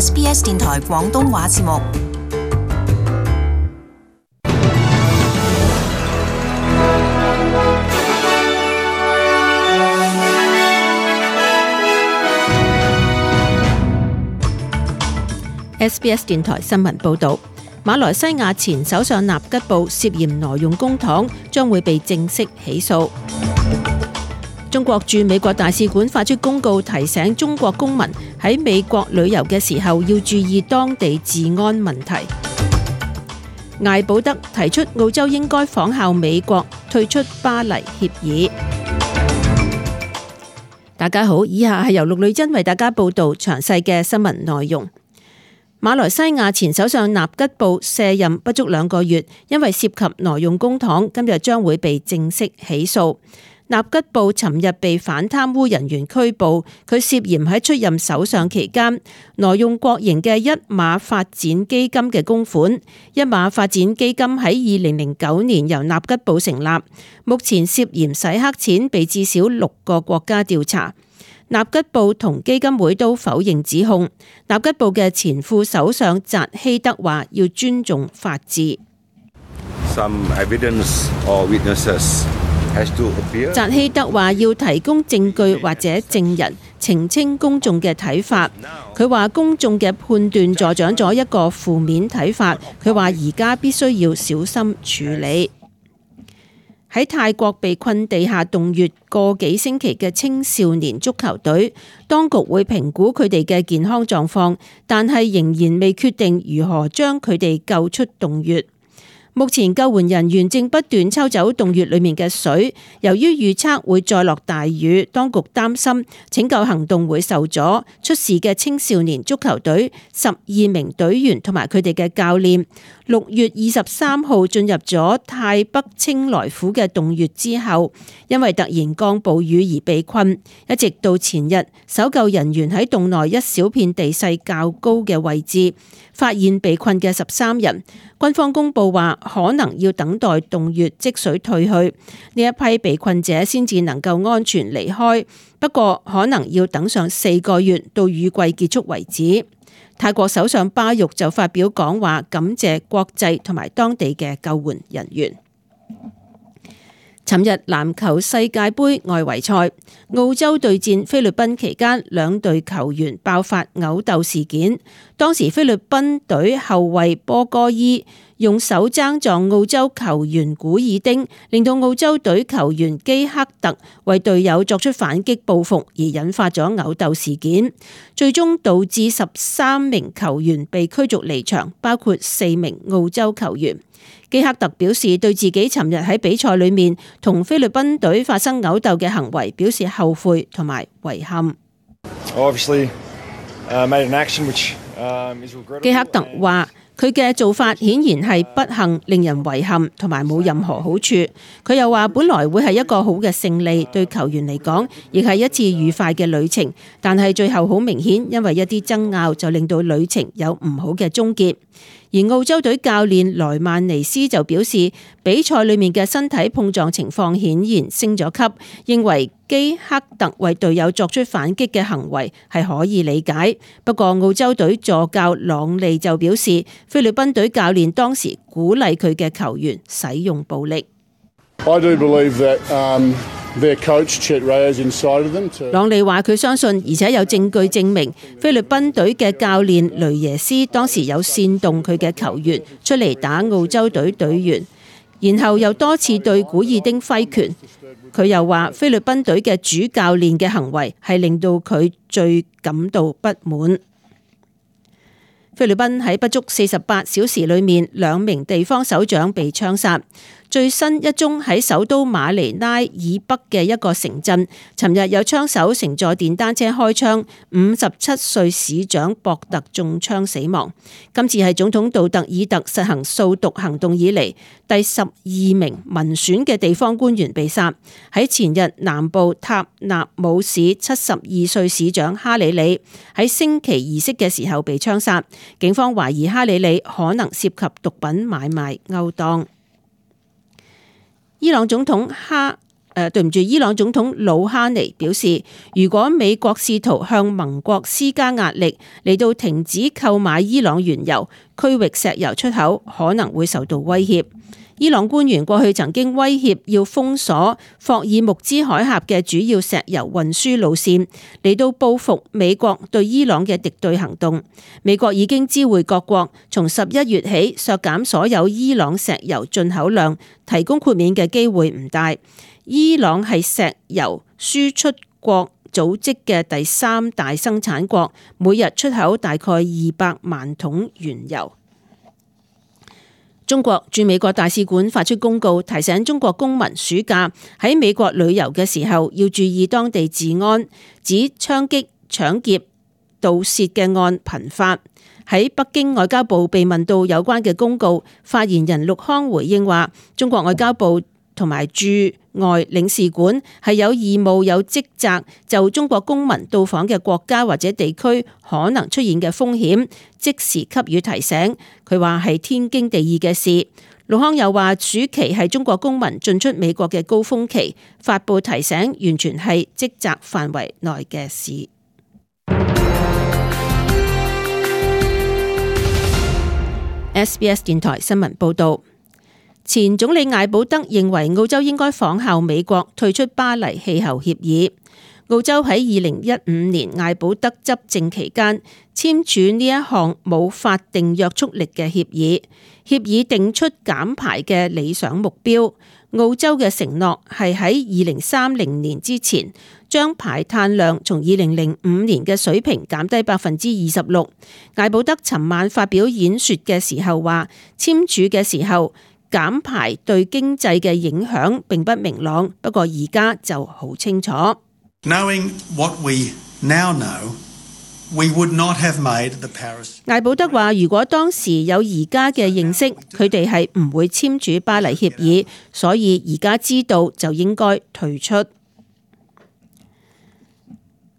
SBS 電台廣東話節目。SBS 電台新聞報導，馬來西亞前首相納吉布涉嫌挪用公帑，將會被正式起訴。中國駐美國大使館發出公告，提醒中國公民喺美國旅遊嘅時候要注意當地治安問題。艾保德提出澳洲應該仿效美國退出巴黎協議。大家好，以下係由陸女珍為大家報道詳細嘅新聞內容。馬來西亞前首相納吉布卸任不足2個月，因為涉及挪用公帑，今日將會被正式起訴。納吉布尋日被反貪污人員拘捕，佢涉嫌喺出任首相期間挪用國營嘅一馬發展基金嘅公款。一馬發展基金喺2009年由納吉布成立，目前涉嫌洗黑錢，被至少6個國家調查。納吉布同基金會都否認指控。納吉布嘅前副首相扎希德話要尊重法治。扎希德話要提供證據或者證人澄清公眾嘅睇法。佢話公眾嘅判斷助長咗一個負面睇法。佢話而家必須要小心處理。喺泰國被困地下洞穴個幾星期嘅青少年足球隊，當局會評估佢哋嘅健康狀況，但係仍然未決定如何將佢哋救出洞穴。目前救援人員正不斷抽走洞穴裡面嘅水，由於預測會再落大雨，當局擔心拯救行動會受阻。出事嘅青少年足球隊12名隊員同埋佢哋嘅教練6月23號進入咗泰北清萊府嘅洞穴之後，因為突然降暴雨而被困，一直到前日，搜救人員喺洞內一小片地勢較高嘅位置發現被困嘅13人。軍方公佈話，可能要等待洞穴積水退去，呢一批被困者先至能夠安全離開。不過可能要等上4個月到雨季結束為止。泰國首相巴育就發表講話，感謝國際同埋當地嘅救援人員。尋日籃球世界盃外圍賽，澳洲對戰菲律賓期間，兩隊球員爆發毆鬥事件。當時菲律賓隊後衛波哥伊用手踭撞澳洲球員古爾丁，令到澳洲隊球員基克特為隊友作出反擊報復，而引發咗毆鬥事件，最終導致13名球員被驅逐離場，包括4名澳洲球員。基克特表示對自己尋日喺比賽裏面同菲律賓隊發生毆鬥嘅行為表示後悔同埋遺憾。基克特話佢嘅做法顯然係不幸，令人遺憾同埋冇任何好處。佢又話本來會係一個好嘅勝利，對球員嚟講亦係一次愉快嘅旅程，但係最後好明顯因為一啲爭拗就令到旅程有唔好嘅終結。而澳洲隊教練萊曼尼斯就表示，比賽裏面嘅身體碰撞情況顯然升咗級，認為基克特為隊友作出反擊嘅行為係可以理解。不過澳洲隊助教朗利就表示，菲律賓隊教練當時鼓勵佢嘅球員使用暴力。朗利話佢相信，而且有證據證明菲律賓隊嘅教練雷耶斯當時有煽動佢嘅球員出嚟打澳洲隊隊員，然後又多次對古爾丁揮拳。佢又話菲律賓隊嘅主教練嘅行為係令到佢最感到不滿。菲律賓喺不足48小時裏面，2名地方首長被槍殺。最新一宗喺首都馬尼拉以北嘅一個城鎮，尋日有槍手乘坐電單車開槍，57歲市長博特中槍死亡。今次係總統杜特爾特實行掃毒行動以嚟第12名民選嘅地方官員被殺。喺前日南部塔納姆市72歲市長哈里里喺升旗儀式嘅時候被槍殺，警方懷疑哈里里可能涉及毒品買賣勾當。伊朗總統伊朗總統魯哈尼表示，如果美國試圖向盟國施加壓力嚟到停止購買伊朗原油，區域石油出口可能會受到威脅。伊朗官員過去曾經威脅要封鎖霍爾木茲海峽嘅主要石油運輸路線，嚟到報復美國對伊朗嘅敵對行動。美國已經知會各國，從11月起削減所有伊朗石油進口量，提供豁免嘅機會唔大。伊朗係石油輸出國組織嘅第3大生產國，每日出口大概200萬桶原油。中國駐美國大使館發出公告，提醒中國公民暑假喺美國旅遊嘅時候要注意當地治安，指槍擊、搶劫、盜竊嘅案頻發。喺北京外交部被問到有關嘅公告，發言人陸康回應話：中國外交部同埋駐外領事館係有義務、有職責就中國公民到訪嘅國家或者地區可能出現嘅風險，即時給予提醒。佢話係天經地義嘅事。陸康又話，暑期係中國公民進出美國嘅高峰期，發布提醒完全係職責範圍內嘅事。SBS 電台新聞報道。前總理艾保德認為澳洲應該仿效美國退出巴黎氣候協議。澳洲喺2015年艾保德執政期間簽署呢一項冇法定約束力嘅協議，協議定出減排嘅理想目標。澳洲嘅承諾係喺2030年之前將排碳量從2005年嘅水平減低26%。艾保德尋晚發表演說嘅時候話，簽署嘅時候減排對經濟嘅影響並不明朗，不過而家就好清楚。Knowing what we now know, we would not have made the Paris。艾保德話：如果當時有而家嘅認識，佢哋係唔會簽署巴黎協議，所以而家知道就應該退出。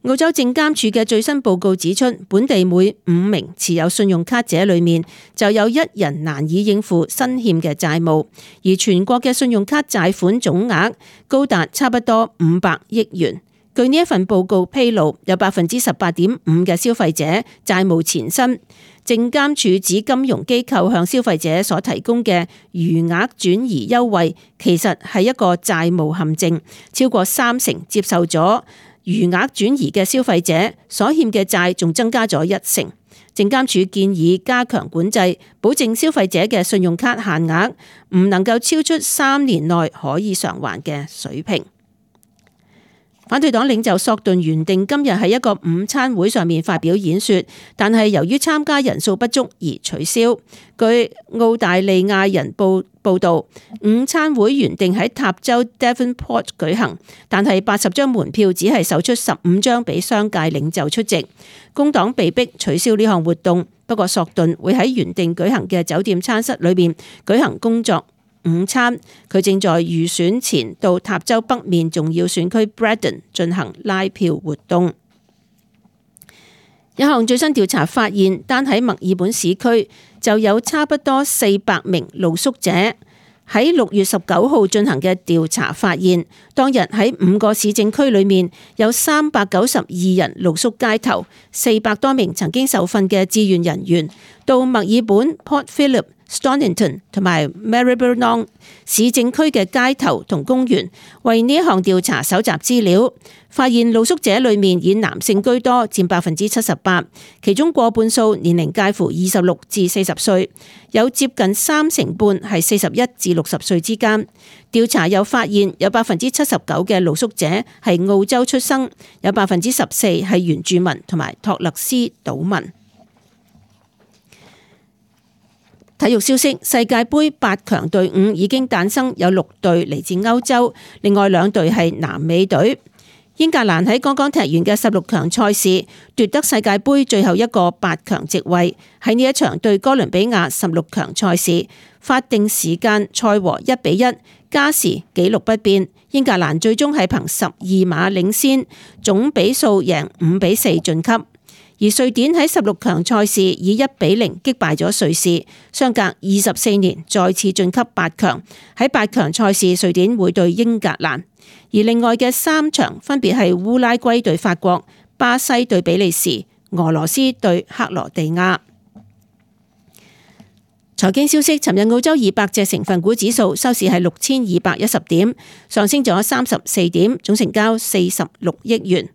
澳洲證監處嘅最新報告指出，本地每5名持有信用卡者裏面就有1人難以應付新欠嘅債務，而全國嘅信用卡債款總額高達差不多500億元。據呢一份報告披露，有18.5%嘅消費者債務纏身。證監處指金融機構向消費者所提供嘅餘額轉移優惠，其實係一個債務陷阱，超過30%接受咗餘額轉移嘅消費者所欠嘅債仲增加咗1成。證監處建議加強管制，保證消費者嘅信用卡限額唔能夠超出3年內可以償還嘅水平。反對黨領袖索頓原定今日喺一個午餐會上面發表演說，但係由於參加人數不足而取消。據澳大利亞人報道，午餐會原定喺塔州 Devonport 舉行，但係80張門票只係售出15張俾商界領袖出席，工黨被迫取消呢項活動。不過索頓會喺原定舉行嘅酒店餐室裏面舉行工作午餐，佢正在預選前到塔州北面重要選區 Braddon 進行拉票活動。一項最新調查發現，單喺墨爾本市區就有差不多400名露宿者。喺6月19號進行嘅調查發現，當日喺5個市政區裏面有392人露宿街頭，400多名曾經受訓嘅志願人員到墨爾本 Port Phillip、Stonnington 同埋 Maribyrnong 市政區嘅街頭同公園，為呢一項調查搜集資料，發現露宿者裏面以男性居多，佔78%，其中過半數年齡介乎26至40歲，有接近3成半係41至60歲之間。調查又發現有79%嘅露宿者係澳洲出生，有14%係原住民同埋托勒斯島民。體育消息：世界盃8強隊伍已經誕生，有6隊嚟自歐洲，另外2隊係南美隊。英格蘭喺剛剛踢完嘅16強賽事奪得世界盃最後一個8強席位。喺呢一場對哥倫比亞16強賽事，法定時間賽和1-1，加時紀錄不變。英格蘭最終係憑12碼領先，總比數贏5-4晉級。而瑞典喺16強賽事以1-0擊敗咗瑞士，相隔24年再次晉級8強。喺8強賽事，瑞典會對英格蘭。而另外嘅3場分別係烏拉圭對法國、巴西對比利時、俄羅斯對克羅地亞。財經消息，尋日澳洲200隻成分股指數收市係6210點，上升咗34點，總成交46億元。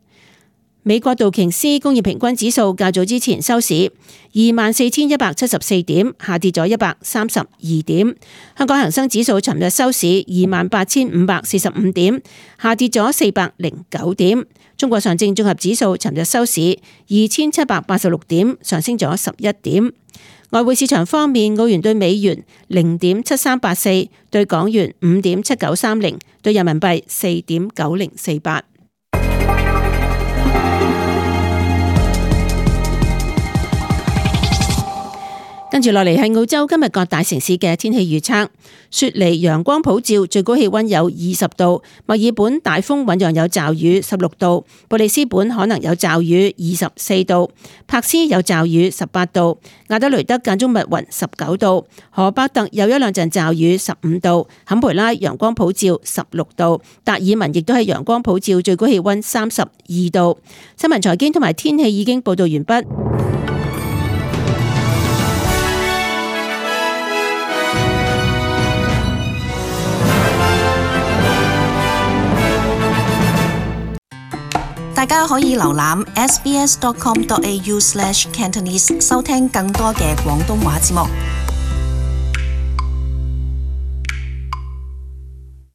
美國道瓊斯工業平均指數較早之前收市24,174點，下跌咗132點。香港恒生指數尋日收市28,545點，下跌咗409點。中國上證綜合指數尋日收市2,786點，上升咗11點。外匯市場方面，澳元對美元0.7384，對港元5.7930，對人民幣4.9048。跟住落嚟係澳洲今日各大城市嘅天氣預測。雪梨陽光普照，最高氣溫有20度；墨爾本大風醞釀有驟雨16度；布里斯本可能有驟雨24度；柏斯有驟雨18度；亞德雷德間中密雲19度；荷伯特有一兩陣驟雨15度；坎培拉陽光普照16度；達爾文亦都係陽光普照，最高氣溫32度。新聞財經同埋天氣已經報道完畢。大家可以瀏覽 sbs.com.au/cantonese 收聽更多嘅廣東話節目。